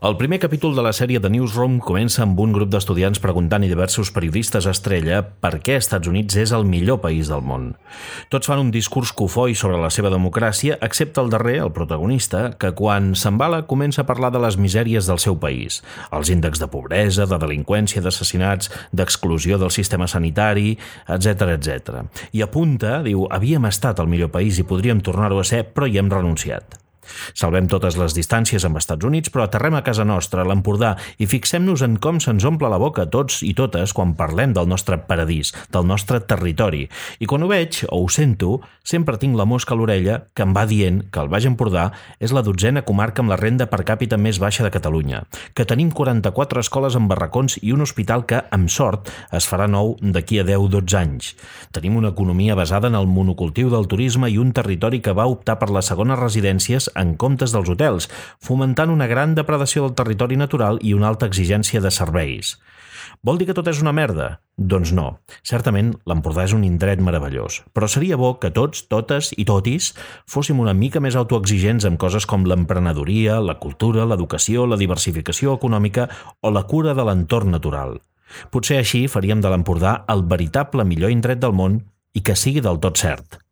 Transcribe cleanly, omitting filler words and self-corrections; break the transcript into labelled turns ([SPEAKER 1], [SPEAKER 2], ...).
[SPEAKER 1] El primer capítol de la sèrie The Newsroom comença amb un grup d'estudiants preguntant i diversos periodistes estrella per què Estats Units és el millor país del món. Tots fan un discurs cofoi sobre la seva democràcia, excepte el darrer, el protagonista, que quan s'embala comença a parlar de les misèries del seu país, els índexs de pobresa, de delinqüència, d'assassinats, d'exclusió del sistema sanitari, etc. I apunta, diu, havíem estat el millor país i podríem tornar-ho a ser, però hi hem renunciat. Salvem totes les distàncies amb Estats Units, però aterrem a casa nostra, a l'Empordà, i fixem-nos en com se'ns omple la boca tots i totes quan parlem del nostre paradís, del nostre territori. I quan ho veig, o ho sento, sempre tinc la mosca a l'orella que em va dient que el Baix Empordà és la 12a comarca amb la renda per càpita més baixa de Catalunya, que tenim 44 escoles amb barracons i un hospital que, amb sort, es farà nou d'aquí a 10-12 anys. Tenim una economia basada en el monocultiu del turisme i un territori que va optar per les segones residències en comptes dels hotels, fomentant una gran depredació del territori natural i una alta exigència de serveis. Vol dir que tot és una merda? Doncs no. Certament, l'Empordà és un indret meravellós, però seria bo que tots, totes i totis fóssim una mica més autoexigents amb coses com l'emprenedoria, la cultura, l'educació, la diversificació econòmica o la cura de l'entorn natural. Potser així faríem de l'Empordà el veritable millor indret del món i que sigui del tot cert.